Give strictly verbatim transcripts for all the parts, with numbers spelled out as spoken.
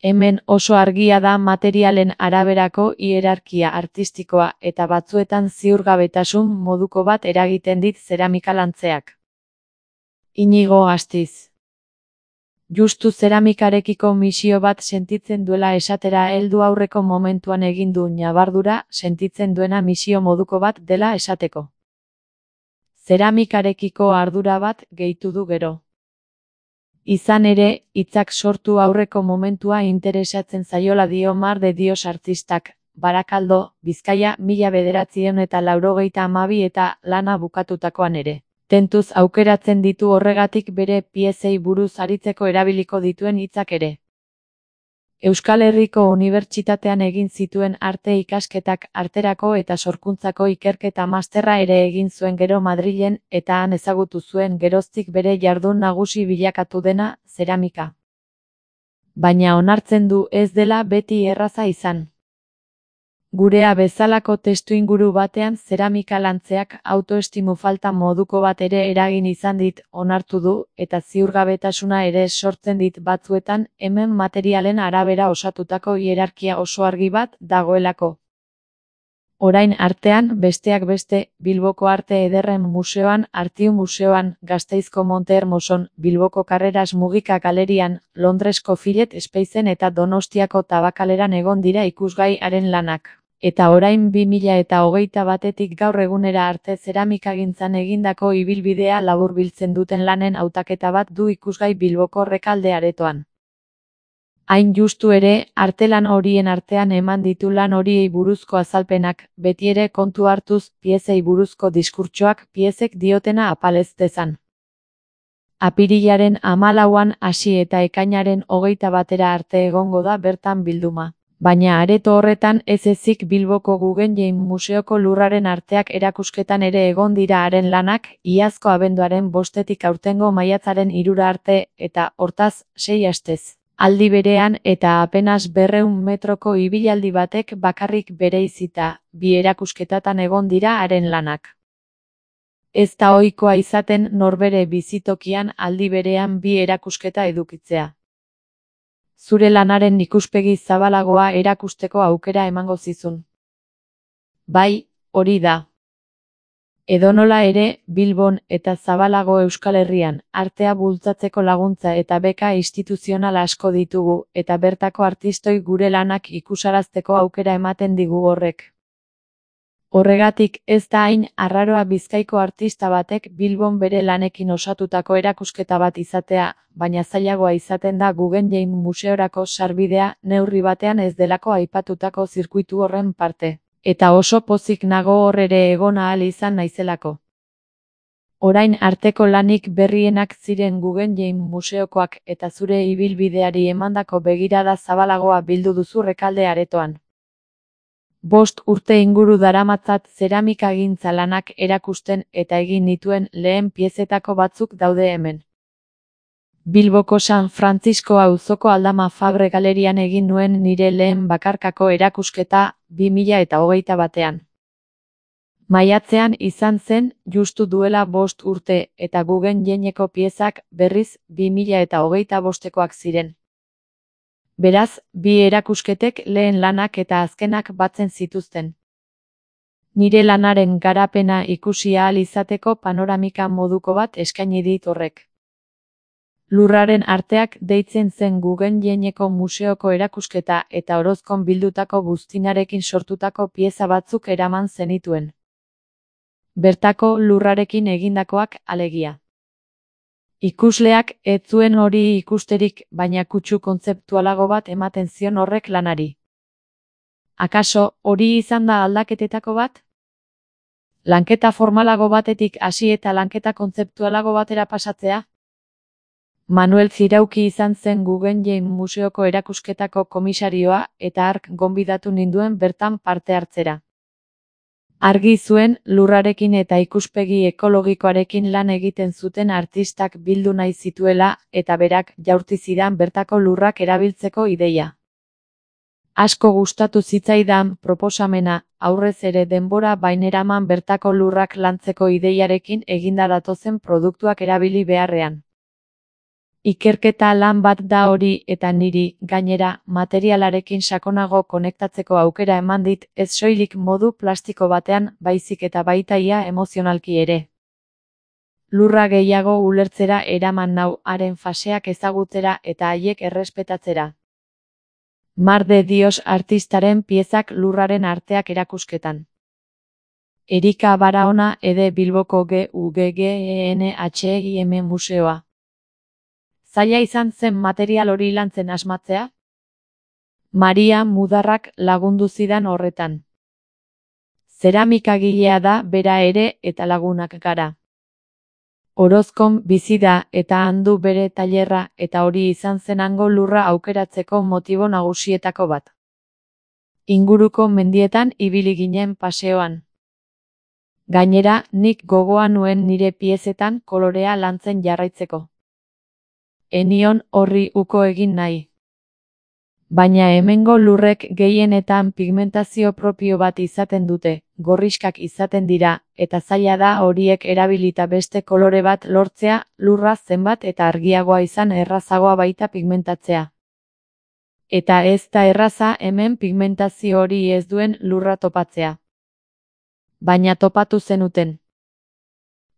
Hemen oso argia da materialen araberako hierarkia artistikoa eta batzuetan ziurgabetasun moduko bat eragiten dit zeramika lantzeak. Inigo Astiz. Justu zeramikarekiko misio bat sentitzen duela esatera heldu aurreko momentuan egin du ñabardura sentitzen duena misio moduko bat dela esateko. Zeramikarekiko ardura bat gehitu du gero. Izan ere, hitzak sortu aurreko momentua interesatzen zaiola dio Mar de Dios artistak, Barakaldo, Bizkaia, mila bederatziehun eta laurogeita hamabi eta lana bukatutakoan ere. Tentuz aukeratzen ditu horregatik bere piezei buruz aritzeko erabiliko dituen hitzak ere. Euskal Herriko Unibertsitatean egin zituen arte ikasketak arterako eta sorkuntzako ikerketa masterra ere egin zuen gero Madrilen eta han ezagutu zuen geroztik bere jardun nagusi bilakatu dena, zeramika. Baina onartzen du ez dela beti erraza izan. Gurea bezalako testuinguru batean zeramika lantzeak autoestimu falta moduko bat ere eragin izan dit onartu du eta ziurgabetasuna ere sortzen dit batzuetan hemen materialen arabera osatutako hierarkia oso argi bat dagoelako. Orain artean, besteak beste, Bilboko Arte Ederren Museoan, Artiu Museoan, Gasteizko Monte Hermoson, Bilboko Karreras Mugika Galerian, Londresko Fillet Spacen eta Donostiako Tabakaleran egon dira ikusgai haren lanak. Eta orain bi mila eta hogeita batetik gaur egunera arte zeramikagintzan egindako ibilbidea laburbiltzen duten lanen hautaketa bat du ikusgai Bilboko Rekalde aretoan. Hain justu ere, artelan horien artean eman ditu lan horiei buruzko azalpenak, betiere kontu hartuz, piezei buruzko diskurtsoak piezek diotena apalez dezan. Apirilaren hamalauan hasi eta ekainaren hogeita batera arte egongo da bertan bilduma. Baina areto horretan ez ezik Bilboko Guggenheim Museoko lurraren arteak erakusketan ere egon dira haren lanak, iazko abenduaren bostetik aurtengo maiatzaren hirura arte eta, hortaz, sei astez. Aldi berean eta apenas berrehun metroko ibilaldi batek bakarrik bereizita, bi erakusketatan egon dira haren lanak. Ez da ohikoa izaten norbere bizitokian aldi berean bi erakusketa edukitzea. Zure lanaren ikuspegi zabalagoa erakusteko aukera emango zizun. Bai, hori da. Edonola ere, Bilbon eta zabalago Euskal Herrian, artea bultzatzeko laguntza eta beka instituzional asko ditugu, eta bertako artistoi gure lanak ikusarazteko aukera ematen digu horrek. Horregatik ez da hain arraroa Bizkaiko artista batek Bilbon bere lanekin osatutako erakusketa bat izatea, baina zailagoa izaten da Guggenheim Museorako sarbidea neurri batean ez delako aipatutako zirkuitu horren parte. Eta oso pozik nago hor ere egon ahal izan naizelako. Orain arteko lanik berrienak ziren Guggenheim Museokoak eta zure ibilbideari emandako begirada zabalagoa bildu duzu Rekalde aretoan. Bost urte inguru daramatzat zeramikagintza lanak erakusten eta egin nituen lehen piezetako batzuk daude hemen. Bilboko San Francisco auzoko Aldama Fabre Galerian egin nuen nire lehen bakarkako erakusketa bi mila eta hogeita batean. Maiatzean izan zen, justu duela bost urte eta Guggenheimeko piezak berriz bi mila eta hogeita bostekoak ziren. Beraz, bi erakusketek lehen lanak eta azkenak batzen zituzten. Nire lanaren garapena ikusi ahal izateko panoramika moduko bat eskaini dit horrek. Lurraren arteak deitzen zen Guggenheimeko museoko erakusketa eta Orozkon bildutako buztinarekin sortutako pieza batzuk eraman zenituen. Bertako lurrarekin egindakoak alegia. Ikusleak ez zuen hori ikusterik, baina kutsu kontzeptualago bat ematen zion horrek lanari. Akaso, hori izan da aldaketetako bat? Lanketa formalago batetik hasi eta lanketa kontzeptualago batera pasatzea? Manuel Zirauki izan zen Guggenheim Museoko erakusketako komisarioa eta hark gonbidatu ninduen bertan parte hartzera. Argi zuen, lurrarekin eta ikuspegi ekologikoarekin lan egiten zuten artistak bildu nahi zituela eta berak jaurti zidan bertako lurrak erabiltzeko ideia. Asko gustatu zitzaidan proposamena, aurrez ere denbora baineraman bertako lurrak lantzeko ideiarekin eginda datozen produktuak erabili beharrean. Ikerketa lan bat da hori eta niri, gainera, materialarekin sakonago konektatzeko aukera eman dit, ez soilik modu plastiko batean, baizik eta baita ia emozionalki ere. Lurra gehiago ulertzera eraman nau haren faseak ezagutzera eta haiek errespetatzera. Mar de Dios artistaren piezak lurraren arteak erakusketan. Erika Barahona ede Bilboko G U G G E N H I M museoa. Zaila izan zen material hori lantzen asmatzea? Maria Mudarrak lagundu zidan horretan. Zeramikagilea da bera ere eta lagunak gara. Orozkon bizi da eta handu bere tailerra eta hori izan zen hango lurra aukeratzeko motibo nagusietako bat. Inguruko mendietan ibili ginen paseoan. Gainera, nik gogoa nuen nire piezetan kolorea lantzen jarraitzeko. Enion horri uko egin nahi. Baina hemengo lurrek gehienetan pigmentazio propio bat izaten dute, gorrixkak izaten dira, eta zaila da horiek erabilita beste kolore bat lortzea, lurra zenbat eta argiagoa izan errazagoa baita pigmentatzea. Eta ez da erraza hemen pigmentazio hori ez duen lurra topatzea. Baina topatu zenuten.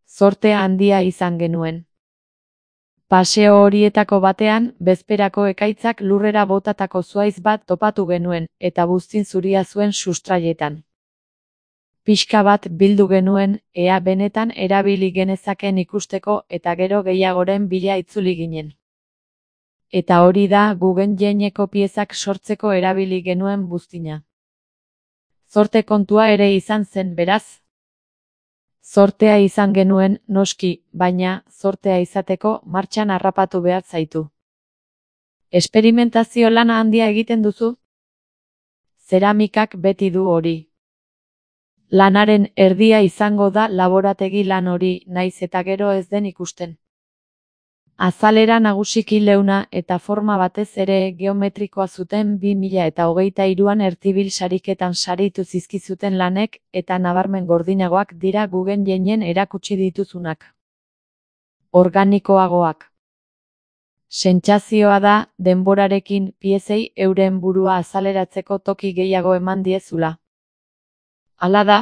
Zorte handia izan genuen. Paseo horietako batean, bezperako ekaitzak lurrera botatako zuaiz bat topatu genuen, eta buztin zuria zuen sustraietan. Pixka bat bildu genuen, ea benetan erabili genezaken ikusteko eta gero gehiagoren bila itzuli ginen. Eta hori da Guggenheimeko piezak sortzeko erabili genuen buztina. Zorte kontua ere izan zen beraz. Zortea izan genuen, noski, baina, zortea izateko martxan harrapatu behar zaitu. Esperimentazio lana handia egiten duzu? Zeramikak beti du hori. Lanaren erdia izango da laborategi lan hori, naiz eta gero ez den ikusten. Azalera nagusiki leuna eta forma batez ere geometrikoa zuten bi mila eta hogeita hiruan Ertibil sariketan saritu zizkizuten lanek eta nabarmen gordinagoak dira Guggenheimeen erakutsi dituzunak. Organikoagoak. Sentsazioa da, denborarekin piezei euren burua azaleratzeko toki gehiago eman diezula. Hala da?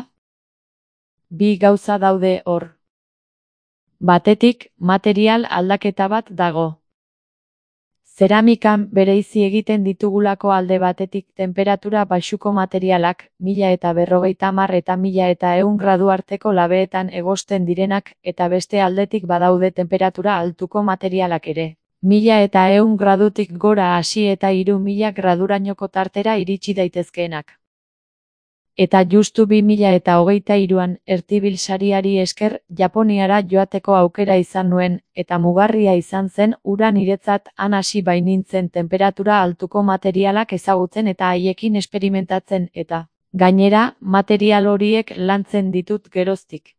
Bi gauza daude hor. Batetik, material aldaketa bat dago. Zeramikan bereizi egiten ditugulako alde batetik temperatura baxuko materialak, mila eta berrogeita hamar eta mila eta ehun gradu arteko labeetan egosten direnak, eta beste aldetik badaude temperatura altuko materialak ere. Mila eta ehun gradutik gora hasi eta hiru mila gradurainoko tartera iritsi daitezkeenak. Eta justu bi mila eta hogeita hiruan Ertibil sariari esker Japoniara joateko aukera izan nuen, eta mugarria izan zen hura niretzat han hasi bainintzen temperatura altuko materialak ezagutzen eta haiekin esperimentatzen eta, gainera, material horiek lantzen ditut geroztik.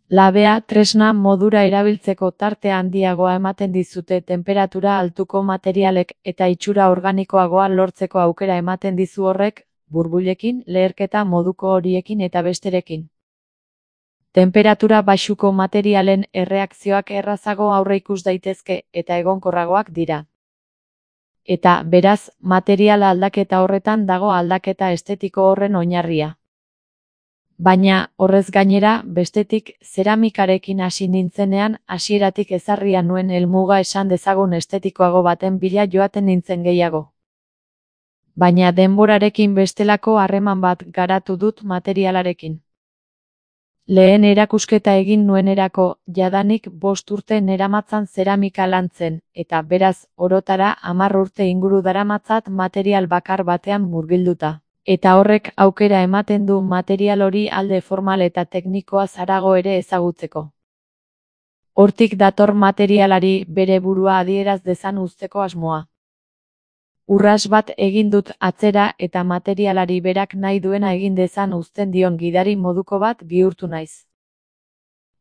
Labea tresna modura erabiltzeko tarte handiagoa ematen dizute temperatura altuko materialek eta itxura organikoagoa lortzeko aukera ematen dizu horrek, burbuilekin, leherketa moduko horiekin eta besterekin. Temperatura baxuko materialen erreakzioak errazago aurreikus daitezke eta egonkorragoak dira. Eta, beraz, material aldaketa horretan dago aldaketa estetiko horren oinarria. Baina, horrez gainera, bestetik, zeramikarekin hasi nintzenean, hasieratik ezarria nuen helmuga esan dezagun estetikoago baten bila joaten nintzen gehiago. Baina denborarekin bestelako harreman bat garatu dut materialarekin. Lehen erakusketa egin nuenerako, jadanik bost urte neramatzan zeramika lantzen, eta beraz, orotara hamar urte inguru daramatzat material bakar batean murgilduta. Eta horrek aukera ematen du material hori alde formal eta teknikoa harago ere ezagutzeko. Hortik dator materialari bere burua adieraz dezan uzteko asmoa. Urras bat egin dut atzera eta materialari berak nahi duena egin dezan uzten dion gidari moduko bat bihurtu naiz.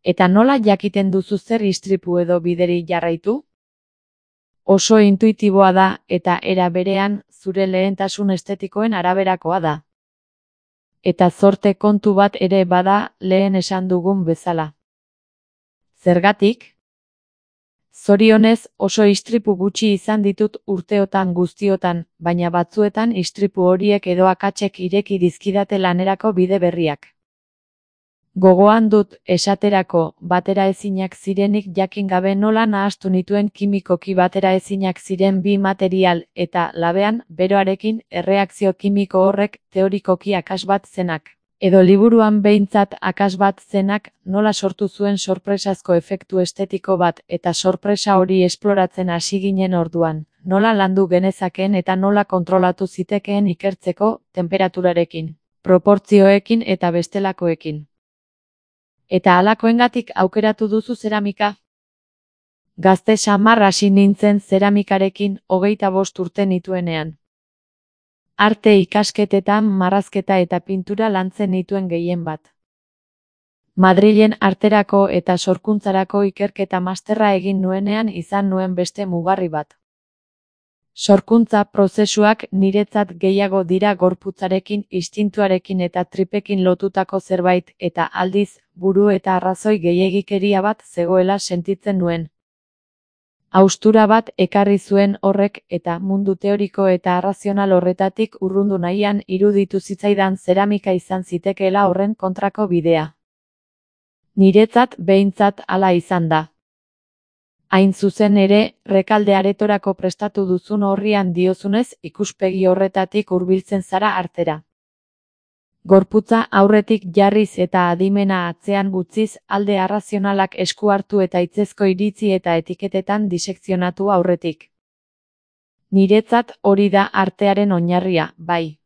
Eta nola jakiten duzu zer istripu edo bideri jarraitu? Oso intuitiboa da eta era berean zure lehentasun estetikoen araberakoa da. Eta zorte kontu bat ere bada lehen esan dugun bezala. Zergatik? Zorionez, oso istripu gutxi izan ditut urteotan guztiotan, baina batzuetan istripu horiek edo akatsek ireki dizkidate lanerako bide berriak. Gogoan dut, esaterako, bateraezinak zirenik jakin gabe nola nahastu nituen kimikoki bateraezinak ziren bi material, eta, labean, beroarekin, erreakzio kimiko horrek, teorikoki akas bat zenak. Edo liburuan behintzat akas bat zenak, nola sortu zuen sorpresazko efektu estetiko bat, eta sorpresa hori esploratzen hasi ginen orduan, nola landu genezakeen eta nola kontrolatu zitekeen ikertzeko, tenperaturarekin, proportzioekin eta bestelakoekin. Eta halakoengatik aukeratu duzu zeramika? Gazte samar hasi nintzen zeramikarekin, hogeita bost urte nituenean. Arte ikasketetan marrazketa eta pintura lantzen nituen gehien bat. Madrilen arterako eta sorkuntzarako ikerketa masterra egin nuenean izan nuen beste mugarri bat. Sorkuntza prozesuak niretzat gehiago dira gorputzarekin, instintuarekin eta tripekin lotutako zerbait, eta aldiz, buru eta arrazoi gehiegikeria bat zegoela sentitzen nuen. Haustura bat ekarri zuen horrek eta mundu teoriko eta arrazional horretatik urrundu nahian iruditu zitzaidan zeramika izan zitekeela horren kontrako bidea. Niretzat behintzat hala izan da. Hain zuzen ere, Rekalde aretorako prestatu duzun orrian diozunez ikuspegi horretatik hurbiltzen zara artera. Gorputza aurretik jarriz eta adimena atzean utziz alde arrazionalak esku hartu eta hitzezko iritzi eta etiketetan disekzionatu aurretik. Niretzat hori da artearen oinarria, bai.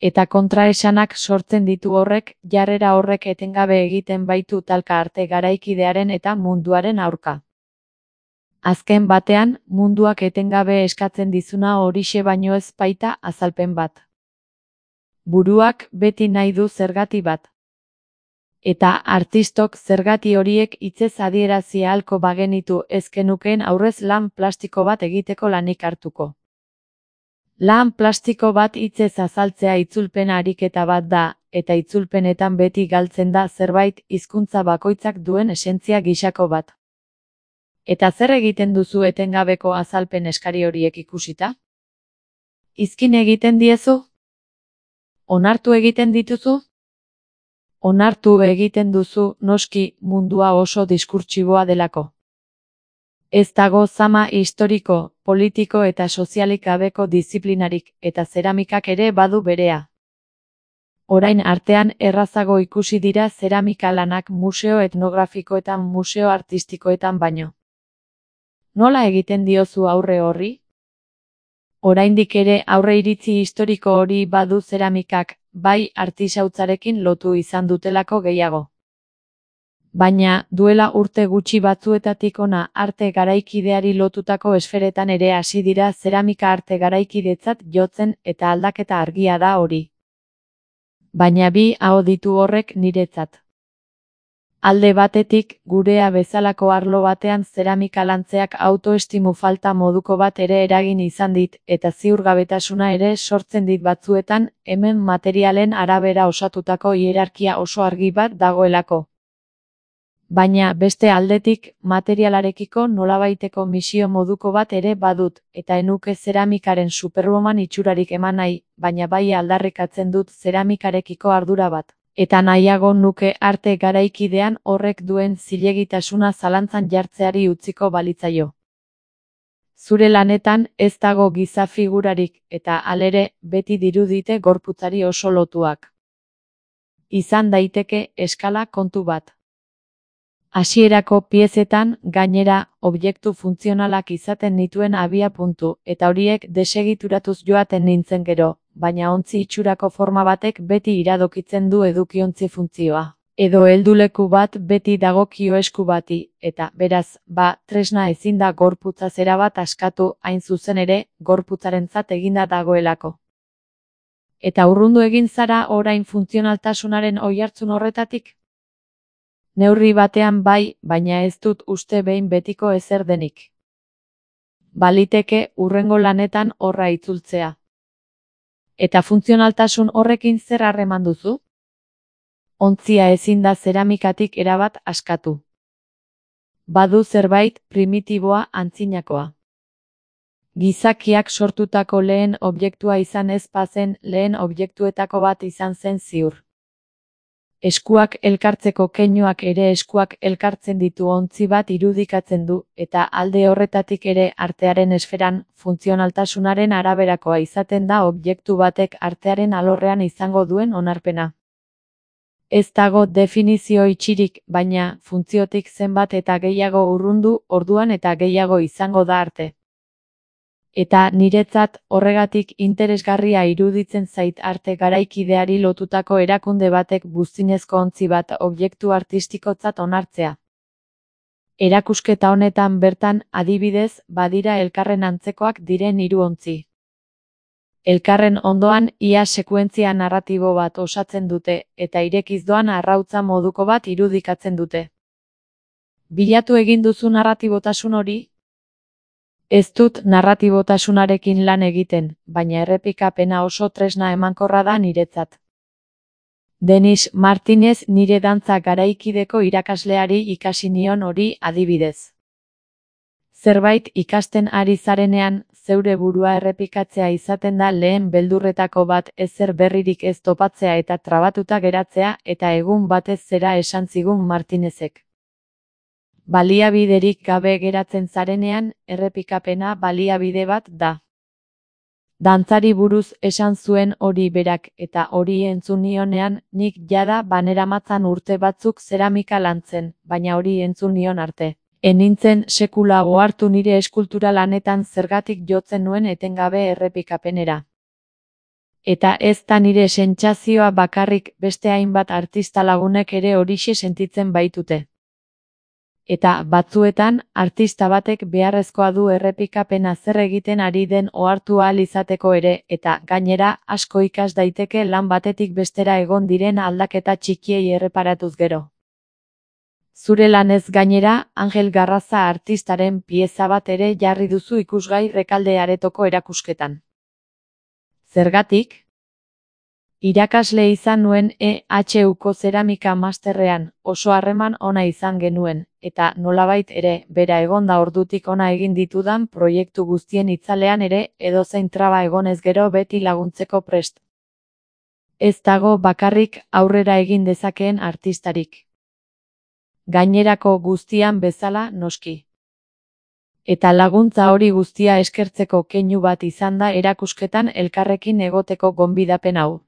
Eta kontraesanak sortzen ditu horrek, jarrera horrek etengabe egiten baitu talka arte garaikidearen eta munduaren aurka. Azken batean, munduak etengabe eskatzen dizuna horixe baino ez baita azalpen bat. Buruak beti nahi du zergati bat. Eta artistok zergati horiek hitzez adierazi ahalko bagenitu ez genukeen aurrez lan plastiko bat egiteko lanik hartuko. Lan plastiko bat hitzez azaltzea itzulpen ariketa bat da, eta itzulpenetan beti galtzen da zerbait hizkuntza bakoitzak duen esentzia gisako bat. Eta zer egiten duzu etengabeko azalpen eskari horiek ikusita? Izkin egiten diezu? Onartu egiten dituzu? Onartu egiten duzu, noski, mundua oso diskurtsiboa delako. Ez dago zama historiko, politiko eta sozialik gabeko diziplinarik, eta zeramikak ere badu berea. Orain artean errazago ikusi dira zeramika lanak museo etnografikoetan, museo artistikoetan baino. Nola egiten diozu aurre horri? Oraindik ere aurre iritzi historiko hori badu zeramikak, bai artisautzarekin lotu izan dutelako gehiago. Baina, duela urte gutxi batzuetatik hona arte garaikideari lotutako esferetan ere hasi dira zeramika arte garaikidetzat jotzen eta aldaketa argia da hori. Baina bi aho ditu horrek niretzat. Alde batetik, gurea bezalako arlo batean zeramika lantzeak autoestimu falta moduko bat ere eragin izan dit, eta ziurgabetasuna ere sortzen dit batzuetan, hemen materialen arabera osatutako hierarkia oso argi bat dagoelako. Baina, beste aldetik, materialarekiko nolabaiteko misio moduko bat ere badut, eta enuke zeramikaren superwoman itxurarik eman nahi, baina bai aldarrikatzen dut zeramikarekiko ardura bat. Eta nahiago nuke arte garaikidean horrek duen zilegitasuna zalantzan jartzeari utziko balitzaio. Zure lanetan ez dago giza figurarik, eta halere, beti dirudite gorputzari oso lotuak. Izan daiteke eskala kontu bat. Hasierako piezetan, gainera, objektu funtzionalak izaten nituen abia puntu, eta horiek desegituratuz joaten nintzen gero, baina ontzi itxurako forma batek beti iradokitzen du edukiontzi funtzioa. Edo helduleku bat beti dagokio esku bati, eta, beraz, ba, tresna ezin da gorputza zera bat askatu, hain zuzen ere, gorputzarentzat eginda dagoelako. Eta urrundu egin zara orain funtzionaltasunaren oihartzun horretatik? Neurri batean bai, baina ez dut uste behin betiko ezer denik. Baliteke hurrengo lanetan horra itzultzea. Eta funtzionaltasun horrekin zer harreman duzu? Ontzia ezin da zeramikatik erabat askatu. Badu zerbait primitiboa antzinakoa. Gizakiak sortutako lehen objektua izan ez bazen lehen objektuetako bat izan zen ziur. Eskuak elkartzeko keinuak ere eskuak elkartzen ditu ontzi bat irudikatzen du, eta alde horretatik ere artearen esferan, funtzionaltasunaren araberakoa izaten da objektu batek artearen alorrean izango duen onarpena. Ez dago definizio itxirik, baina funtziotik zenbat eta gehiago urrundu, orduan eta gehiago izango da arte. Eta niretzat horregatik interesgarria iruditzen zait arte garaikideari lotutako erakunde batek buztinezko ontzi bat objektu artistikotzat onartzea. Erakusketa honetan bertan, adibidez, badira elkarren antzekoak diren hiru ontzi. Elkarren ondoan ia sekuentzia narratibo bat osatzen dute, eta irekiz doan arrautza moduko bat irudikatzen dute. Bilatu egin duzu narratibotasun hori? Ez dut narratibotasunarekin lan egiten, baina errepikapena oso tresna emankorra da niretzat. Denis Martinez nire dantza garaikideko irakasleari ikasi nion hori adibidez. Zerbait ikasten ari zarenean, zeure burua errepikatzea izaten da lehen beldurretako bat ezer berririk ez topatzea eta trabatuta geratzea eta egun batez zera esan zigun Martinezek. Baliabiderik gabe geratzen zarenean, errepikapena baliabide bat da. Dantzari buruz esan zuen hori berak eta hori entzun nionean, nik jada baneramatzan urte batzuk zeramika lantzen, baina hori entzun nion arte. Enintzen sekula ohartu nire eskultura lanetan zergatik jotzen nuen etengabe errepikapenera. Eta ez da nire sentsazioa bakarrik, beste hainbat artista lagunek ere horixe sentitzen baitute. Eta batzuetan, artista batek beharrezkoa du errepikapena zer egiten ari den ohartu ahal izateko ere, eta gainera, asko ikas daiteke lan batetik bestera egon diren aldaketa txikiei erreparatuz gero. Zure lanez gainera, Angel Garraza artistaren pieza bat ere jarri duzu ikusgai Rekalde aretoko erakusketan. Zergatik? Irakasle izan nuen E H Uko zeramika masterrean, oso harreman ona izan genuen, eta nolabait ere, bera egonda ordutik ona egin ditudan proiektu guztien itzalean ere, edozein traba egonez gero beti laguntzeko prest. Ez dago bakarrik aurrera egin dezakeen artistarik. Gainerako guztian bezala noski. Eta laguntza hori guztia eskertzeko keinu bat izan da erakusketan elkarrekin egoteko gonbidapen hau.